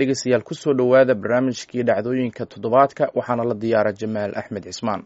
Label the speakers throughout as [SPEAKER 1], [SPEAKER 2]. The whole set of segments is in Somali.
[SPEAKER 1] Dhegeystayaal, kusoo dhowaada barnaamijkii dhacdooyinka toddobaadka, waxaana la diyaara Jamaal Axmed Cismaan.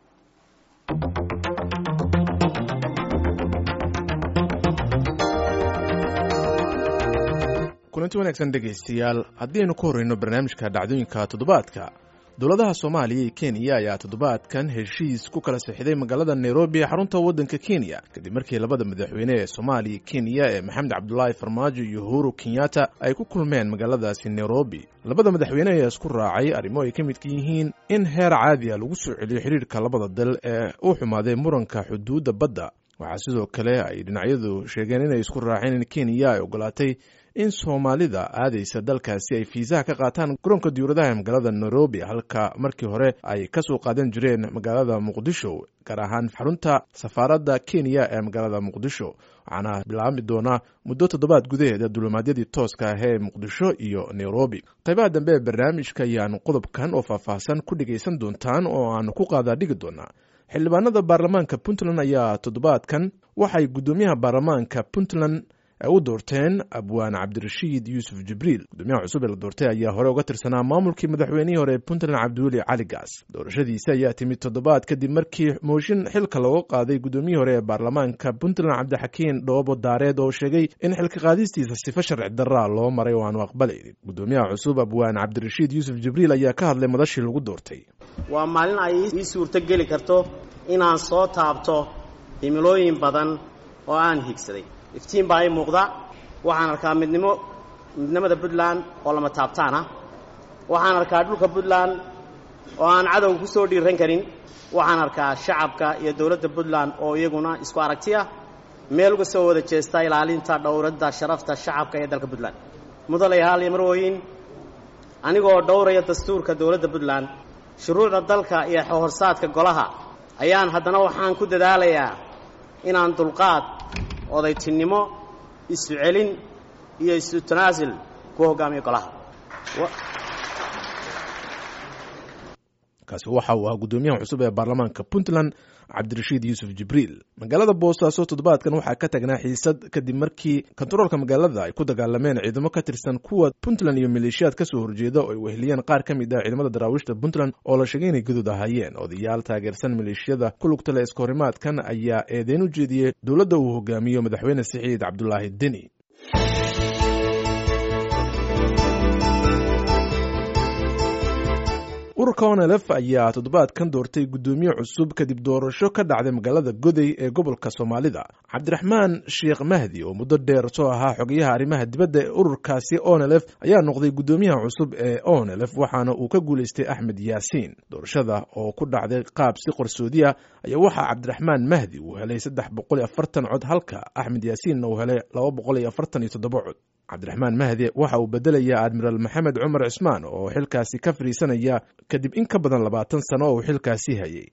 [SPEAKER 2] Kulanti wanaagsan dhegaystayaal, haddii aynu ku horreyno barnaamijka dhacdooyinka toddobaadka, dowladaha Soomaaliya iyo Kenya ayaa toddobaadkan heshiis ku kala sixday magaalada Nairobi ee xarunta waddanka Kenya, kadib markii labada madaxweyne ee Soomaaliya Kenya ee Maxamed Cabdulaahi Farmaajo iyo Uhuru Kenyatta ay ku kulmeen magaaladaasi Nairobi. Labada madaxweyne ayaa isku raacay arrimo ay ka midka yihiin in heer caadi a lagu soo celiyo xidhiirka labada dal ee u xumaaday muranka xuduudda badda. Waxaa sidoo kale ay dhinacyadu sheegeen inay isku raaceen in Kenya ay ogolaatay in Soomaalida aadaysa dalkaasi ay fiisaha ka qaataan garoonka diyuuradaha ee magaalada Nairobi, halka markii hore ay ka soo qaadan jireen magaalada Muqdisho, gaar ahaan xarunta safaaradda Kenya ee magaalada Muqdisho. Waxaana bilaabmi doonaa muddo toddobaad gudaheeda dulimaadyadii tooska ah ee Muqdisho iyo Nairobi. Qaybaha dambe ee barnaamijka ayaanu qodobkan oo faahfaahsan ku dhegaysan doontaan oo aanu ku qaadaa dhigi doonaa. Xildhibaanada baarlamaanka Puntland ayaa toddobaadkan waxay guddoomiyaha baarlamaanka Puntland u doorteen Abwaan Cabdirashiid Yuusuf Jibriil. Gudoomiyaha cusub ee la doortay ayaa hore uga tirsanaa maamulkii madaxweynihii hore ee Puntland, Cabdiweli Cali Gaas. Doorashadiisi ayaa timid toddobaad kadib markii mooshin xilka looga qaaday guddoomiyihii hore ee baarlamaanka Puntland, Cabdixakiin Dhoobo Daareed, oo sheegay in xilka qaadistiisa sifo sharci daraa loo maray oo aanu aqbalaynin. Gudoomiyaha cusub Abwaan Cabdirashiid Yuusuf Jibriil ayaa ka hadlay madashii lagu doortay.
[SPEAKER 3] Waa maalin ay ii suurto geli karto inaan soo taabto himilooyin badan oo aan higsaday. Iftiin baa ii muuqda. Waxaan arkaa midnimo, midnimada Puntland oo lama taabtaan ah. Waxaan arkaa dhulka Puntland oo aan cadowga ku soo dhiiran karin. Waxaan arkaa shacabka iyo dowladda Puntland oo iyaguna isku aragti ah, meel uga soo wada jeesta ilaalinta dhowradda sharafta shacabka ee dalka Puntland. Mudanayaal iyo marwooyin, anigoo dhowraya dastuurka dowladda Puntland, shuruucda dalka iyo xorsaadka golaha, ayaan haddana waxaan ku dadaalayaa inaan dulqaad, odaytinimo, isu celin iyo isu tanaasul ku hoggaamiyo golaha.
[SPEAKER 2] Kaasi waxa uu ahaa guddoomiyaha cusub ee baarlamaanka Puntland, Cabdirashiid Yuusuf Jibriil. Magaalada Boosaaso toddobaadkan waxaa ka tagnaa xiisad kadib markii kontaroolka magaalada ay ku dagaalameen ciidamo ka tirsan kuwa Puntland iyo maleeshiyaad kasoo horjeeda oo ay weheliyeen qaar ka mid ah ciidamada daraawiishta Puntland oo la sheegay inay guduud ahaayeen. Odayaal taageersan maleeshiyada ku lugta leh iskahorimaadkan ayaa eedeyn u jeediyey dowladda uu hogaamiyo madaxweyne Siciid Cabdulaahi Deni. Ururka ONLF ayaa toddobaadkan doortay guddoomiye cusub kadib doorasho ka dhacday magaalada Goday ee gobolka Soomaalida. Cabdiraxmaan Sheekh Mahdi oo muddo dheer soo ahaa xogayaha arrimaha dibadda ee ururkaasi ONLF ayaa noqday guddoomiyaha cusub ee ONLF, waxaana uu ka guulaystay Axmed Yaasiin. Doorashada oo ku dhacday qaab si qarsoodi ah ayaa waxaa Cabdiraxmaan Mahdi uu helay 340 cod, halka Axmed Yaasiinna uu helay 247 cod. Cabdiraxmaan Mahdi waxa uu bedelayaa Admiraal Maxamed Cumar Cismaan oo xilkaasi ka fadhiisanaya kadib in ka badan 20 sano oo uu xilkaasi hayay.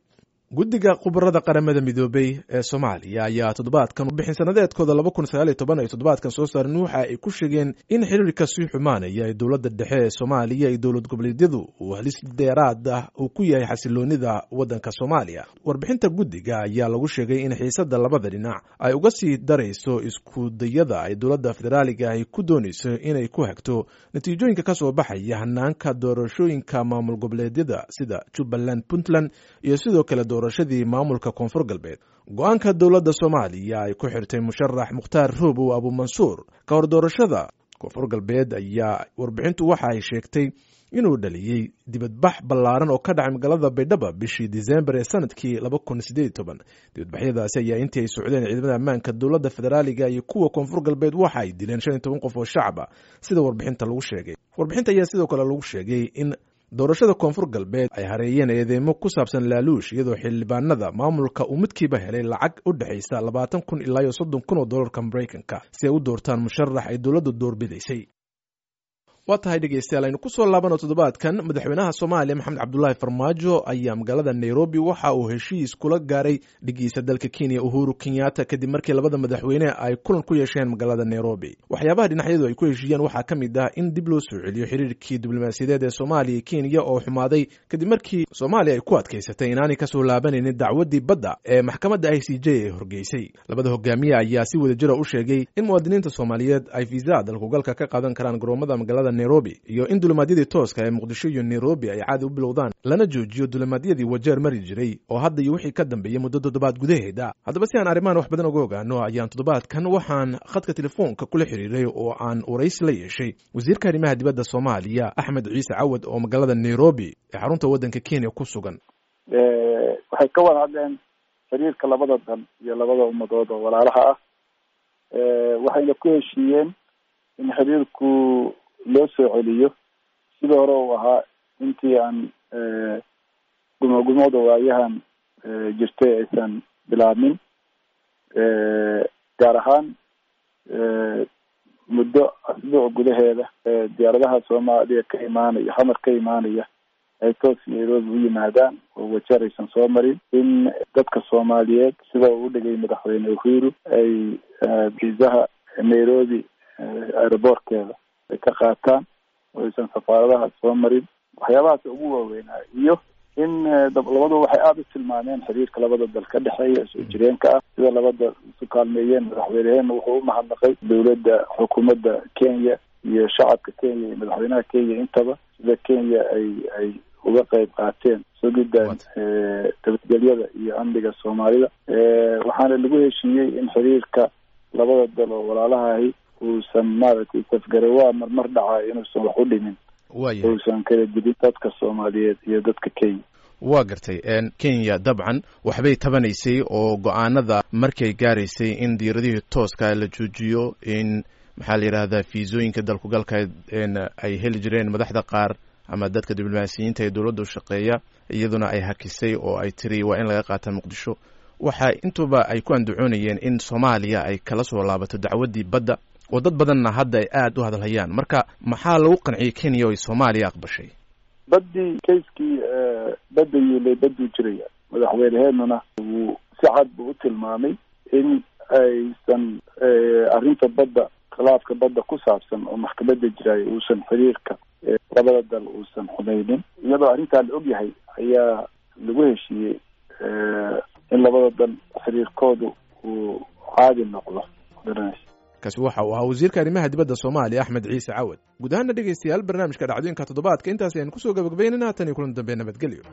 [SPEAKER 2] Guddiga khubarada Qaramada Midoobey ee Soomaaliya ayaa toddobaadkan bixin sanadeedkooda 2019 ay toddobaadkan soo saareen waxa ay ku sheegeen in xiriirka sii xumaanaya ee dowladda dhexe ee Soomaaliya iyo dowlad goboleedyadu uu halis dheeraad ah uu ku yahay xasiloonida waddanka Soomaaliya. Warbixinta guddiga ayaa lagu sheegay in xiisadda labada dhinac ay uga sii darayso isku dayada ay dowladda federaaliga ahi ku doonayso inay ku hagto natiijooyinka ka soo baxaya hanaanka doorashooyinka maamul goboleedyada sida Jubbaland, Puntland iyo sidoo kale doorashadii maamulka Koonfur Galbeed. Go-aanka dowladda Soomaaliya ay ku xirtay musharax Mukhtaar Roobow Abuumansuur ka hor doorashada Koonfur Galbeed ayaa warbixintu waxa ay sheegtay inuu dhaliyey dibadbax ballaaran oo ka dhacay magaalada Baydhaba bishii Disembar ee sanadkii 2018. Dibadbaxyadaasi ayaa intii ay socdeen ciidamada ammaanka dowladda federaaliga iyo kuwa Koonfur Galbeed waxa ay dileen 15 qof oo shacaba, sida warbixinta lagu sheegay. Warbixinta ayaa sidoo kale lagu sheegay in doorashada Koonfur Galbeed ay hareeyeen eedeymo ku saabsan laaluush, iyadoo xildhibaanada maamulka uu midkiiba helay lacag u dhexaysa 20,000 ilaa iyo 30,000 oo dollarka Maraykanka si ay u doortaan musharax ay dowladdu doorbidaysay. Waa tahay dhegeystayaal, aynu kusoo laabano toddobaadkan madaxweynaha Soomaaliya Maxamed Cabdulaahi Farmaajo ayaa magaalada Nairobi waxa uu heshiis kula gaaray dhigiisa dalka Kenya, Uhuru Kenyatta, kadib markii labada madaxweyne ay kulan ku yeesheen magaalada Nairobi. Waxyaabaha dhinacyadu ay ku heshiiyeen waxaa ka mid ah in dib loo soo celiyo xiriirkii diblomaasiyadeed ee Soomaaliya iyo Kenya oo xumaaday kadib markii Soomaaliya ay ku adkaysatay inaanay kasoo laabanaynin dacwadii badda ee maxkamadda ICJ ee horgeysay. Labada hogaamiye ayaa si wadajira u sheegay in muwaadiniinta Soomaaliyeed ay fiisaha dalkugalka ka qaadan karaan garoomada magaalada Nairobi, iyo in dulimaadyadii tooska ee Muqdisho iyo Nairobi ay caadi u bilowdaan, lana joojiyo dulimaadyadii Wajeer mari jiray oo hadda iyo wixii ka dambeeyey muddo toddobaad gudaheeda. Haddaba si aan arrimahan wax badan uga ogaano ayaan toddobaadkan waxaan khadka telefoonka kula xiriiray oo aan waraysi la yeeshay wasiirka arrimaha dibadda Soomaaliya Axmed Ciise Cawad oo magaalada Nairobi ee xarunta waddanka Kenya ku sugan.
[SPEAKER 4] Waxay ka wada hadleen xiriirka labada dal iyo labada ummadood oo walaalaha ah. Waxayna ku heshiiyeen in xiriirku loo soo celiyo sidii hore uu ahaa intii aan gumogumooda waayahan jirtay aysan bilaabmin, gaar ahaan muddo asbuuc gudaheeda diyaaradaha Soomaaliya ka imaanaya, Xamar ka imaanaya, ay toos Nairobi u yimaadaan oo Wajeer aysan soo marin, in dadka Soomaaliyeed sida uu udhigay Madaxweyne Uhuru ay viisaha Nairobi aeroboortkeeda ay ka qaataan oo aysan safaaradaha soo marin. Waxyaabahaas ugu waaweynaa, iyo in labadu waxay aada u tilmaameen xiriirka labada dal ka dhexeeya soo jireenka ah, sida labada isu kaalmeeyeen. Madaxweyneheenna wuxuu u mahadnaqay dowladda, xukuumadda Kenya iyo shacabka Kenya iyo madaxweynaha Kenya intaba, sida Kenya ay uga qayb qaateen sugidda nabadgelyada iyo amniga Soomaalida. Waxaana lagu heshiiyey in xiriirka labada dal oo walaalahahi uusan maaragtay safgarawaa marmar dhacaa inuusan wax u dhimin, uusan kala dilin dadka Soomaaliyeed iyo dadka Kenya.
[SPEAKER 2] Waa gartay. Kenya dabcan waxbay tabanaysay oo go-aanada markay gaaraysay in diiradihii tooska la joojiyo, in maxaa la yidhahdaa fiisooyinka dalkugalka ay heli jireen madaxda qaar ama dadka diblomaasiyiinta ee dowladda u shaqeeya, iyaduna ay hakisay oo ay tiri waa in laga qaata Muqdisho. Waxa intuba ay ku andacoonayeen in Soomaaliya ay kala soo laabato dacwaddii badda, oo dad badanna hadda ay aada u hadalhayaan. Marka maxaa lagu qanciyey Kenya oo ay Soomaaliya aqbashay?
[SPEAKER 4] Baddii, kayskii badda yiilay badduu jiraya. Madaxweyneheenuna wuu si cad buu u tilmaamay in aysan arrinta badda, khilaafka badda ku saabsan oo maxkamadda jiraay, uusan xiriirka labada dal uusan xumeynin. Iyadoo arrintaa la ogyahay ayaa lagu heshiiyey in labada dal xiriirkoodu uu caadi noqdo.
[SPEAKER 2] Kaasi waxa uu ahaa wasiirka arrimaha dibadda Soomaaliya Axmed Ciise Cawad. Guud ahaana dhegeystayaal, barnaamijka dhacdooyinka toddobaadka intaas ayaan kusoo gabagabaynayna. Tan iyo kulan dambe, nabadgelyo.